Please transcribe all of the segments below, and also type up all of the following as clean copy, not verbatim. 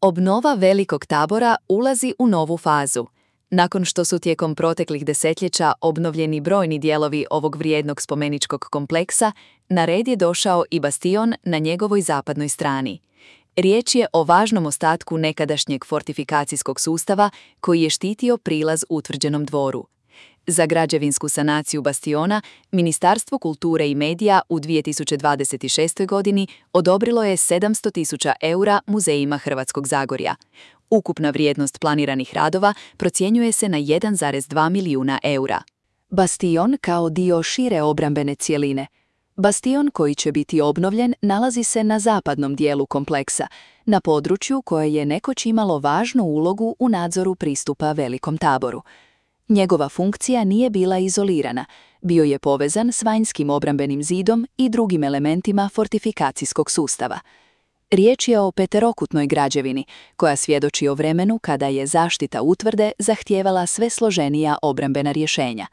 Obnova Velikog Tabora ulazi u novu fazu. Nakon što su tijekom proteklih desetljeća obnovljeni brojni dijelovi ovog vrijednog spomeničkog kompleksa, na red je došao i bastion na njegovoj zapadnoj strani. Riječ je o važnom ostatku nekadašnjeg fortifikacijskog sustava koji je štitio prilaz utvrđenom dvoru. Za građevinsku sanaciju bastiona Ministarstvo kulture i medija u 2026. godini odobrilo je 700.000 eura muzejima Hrvatskog Zagorja. Ukupna vrijednost planiranih radova procjenjuje se na 1,2 milijuna eura. Bastion kao dio šire obrambene cjeline. Bastion koji će biti obnovljen nalazi se na zapadnom dijelu kompleksa, na području koje je nekoć imalo važnu ulogu u nadzoru pristupa Velikom Taboru. Njegova funkcija nije bila izolirana, bio je povezan s vanjskim obrambenim zidom i drugim elementima fortifikacijskog sustava. Riječ je o peterokutnoj građevini, koja svjedoči o vremenu kada je zaštita utvrde zahtijevala sve složenija obrambena rješenja.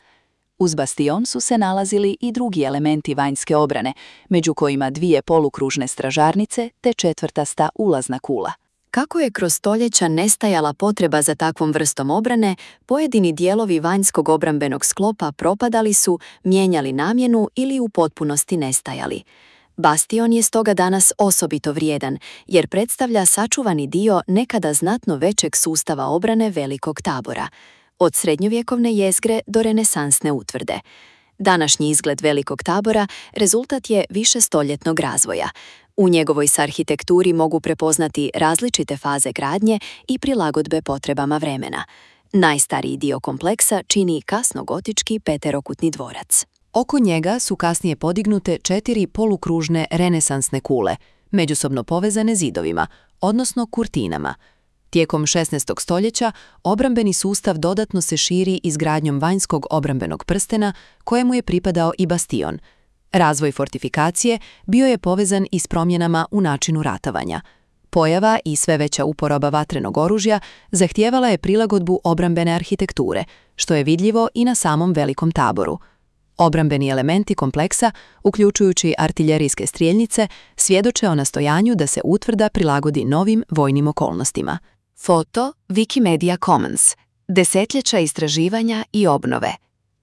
Uz bastion su se nalazili i drugi elementi vanjske obrane, među kojima 2 polukružne stražarnice te četvrtasta ulazna kula. Kako je kroz stoljeća nestajala potreba za takvom vrstom obrane, pojedini dijelovi vanjskog obrambenog sklopa propadali su, mijenjali namjenu ili u potpunosti nestajali. Bastion je stoga danas osobito vrijedan, jer predstavlja sačuvani dio nekada znatno većeg sustava obrane Velikog Tabora, od srednjovjekovne jezgre do renesansne utvrde. Današnji izgled Velikog Tabora rezultat je višestoljetnog razvoja. U njegovoj se arhitekturi mogu prepoznati različite faze gradnje i prilagodbe potrebama vremena. Najstariji dio kompleksa čini kasnogotički peterokutni dvorac. Oko njega su kasnije podignute 4 polukružne renesansne kule, međusobno povezane zidovima, odnosno kurtinama. Tijekom 16. stoljeća obrambeni sustav dodatno se širi izgradnjom vanjskog obrambenog prstena kojemu je pripadao i bastion. Razvoj fortifikacije bio je povezan i s promjenama u načinu ratovanja. Pojava i sve veća uporaba vatrenog oružja zahtijevala je prilagodbu obrambene arhitekture, što je vidljivo i na samom Velikom Taboru. Obrambeni elementi kompleksa, uključujući artiljerijske strijeljnice, svjedoče o nastojanju da se utvrda prilagodi novim vojnim okolnostima. Foto Wikimedia Commons. Desetljeća istraživanja i obnove.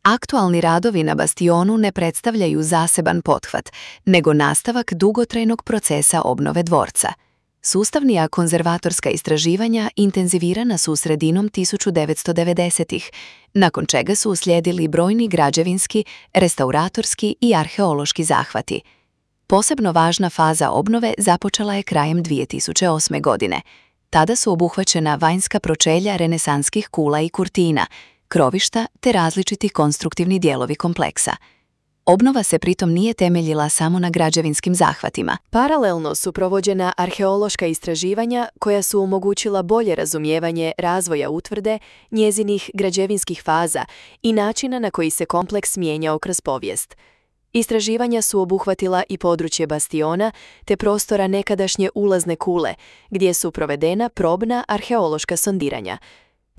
Aktualni radovi na bastionu ne predstavljaju zaseban pothvat, nego nastavak dugotrajnog procesa obnove dvorca. Sustavnija konzervatorska istraživanja intenzivirana su sredinom 1990-ih, nakon čega su uslijedili brojni građevinski, restauratorski i arheološki zahvati. Posebno važna faza obnove započela je krajem 2008. godine. Tada su obuhvaćena vanjska pročelja renesanskih kula i kurtina, krovišta te različiti konstruktivni dijelovi kompleksa. Obnova se pritom nije temeljila samo na građevinskim zahvatima. Paralelno su provođena arheološka istraživanja koja su omogućila bolje razumijevanje razvoja utvrde, njezinih građevinskih faza i načina na koji se kompleks mijenjao kroz povijest. Istraživanja su obuhvatila i područje bastiona te prostora nekadašnje ulazne kule, gdje su provedena probna arheološka sondiranja.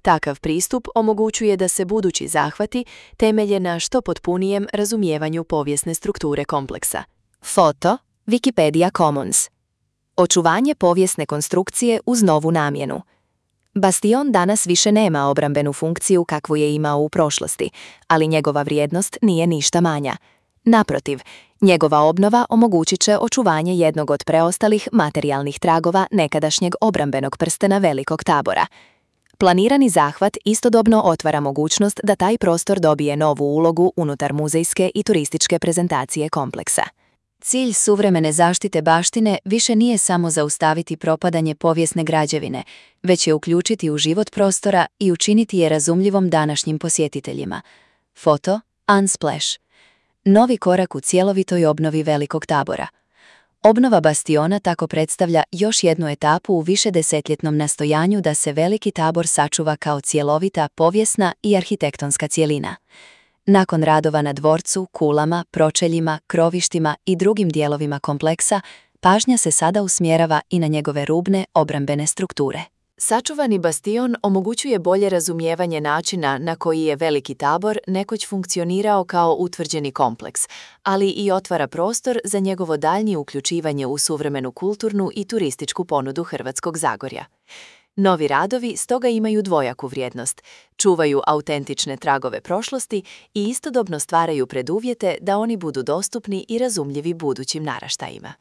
Takav pristup omogućuje da se budući zahvati temelje na što potpunijem razumijevanju povijesne strukture kompleksa. Foto Wikimedia Commons. Očuvanje povijesne konstrukcije uz novu namjenu. Bastion danas više nema obrambenu funkciju kakvu je imao u prošlosti, ali njegova vrijednost nije ništa manja. Naprotiv, njegova obnova omogućit će očuvanje jednog od preostalih materijalnih tragova nekadašnjeg obrambenog prstena Velikog Tabora. Planirani zahvat istodobno otvara mogućnost da taj prostor dobije novu ulogu unutar muzejske i turističke prezentacije kompleksa. Cilj suvremene zaštite baštine više nije samo zaustaviti propadanje povijesne građevine, već je uključiti u život prostora i učiniti je razumljivom današnjim posjetiteljima. Foto Unsplash. Novi korak u cjelovitoj obnovi Velikog Tabora. Obnova bastiona tako predstavlja još jednu etapu u višedesetljetnom nastojanju da se Veliki Tabor sačuva kao cjelovita povijesna i arhitektonska cjelina. Nakon radova na dvorcu, kulama, pročeljima, krovištima i drugim dijelovima kompleksa, pažnja se sada usmjerava i na njegove rubne obrambene strukture. Sačuvani bastion omogućuje bolje razumijevanje načina na koji je Veliki Tabor nekoć funkcionirao kao utvrđeni kompleks, ali i otvara prostor za njegovo daljnje uključivanje u suvremenu kulturnu i turističku ponudu Hrvatskog Zagorja. Novi radovi stoga imaju dvojaku vrijednost, čuvaju autentične tragove prošlosti i istodobno stvaraju preduvjete da oni budu dostupni i razumljivi budućim naraštajima.